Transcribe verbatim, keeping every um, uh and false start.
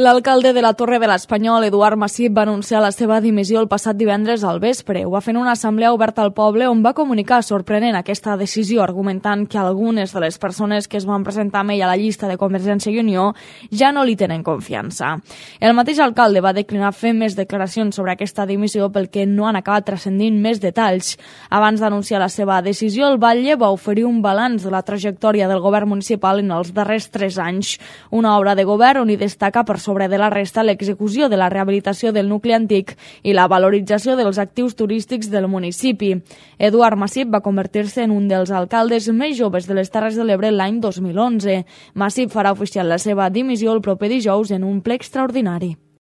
L'alcalde de la Torre de l'Espanyol, Eduard Massip, va anunciar la seva dimissió el passat divendres al vespre. Ho va fer en una assemblea oberta al poble on va comunicar sorprenent aquesta decisió, argumentant que algunes de les persones que es van presentar amb ell a la llista de Convergència i Unió ja no li tenen confiança. El mateix alcalde va declinar fer més declaracions sobre aquesta dimissió pel que no han acabat transcendint més detalls. Abans d'anunciar la seva decisió, el batlle va oferir un balanç de la trajectòria del govern municipal en els darrers tres anys. Una obra de govern on hi destaca per sobre de la resta l'execució de la rehabilitació del nucli antic i la valorització dels actius turístics del municipi. Eduard Massip va convertir-se en un dels alcaldes més joves de les Terres de l'Ebre l'any dos mil onze. Massip farà oficial la seva dimissió el proper dijous en un ple extraordinari.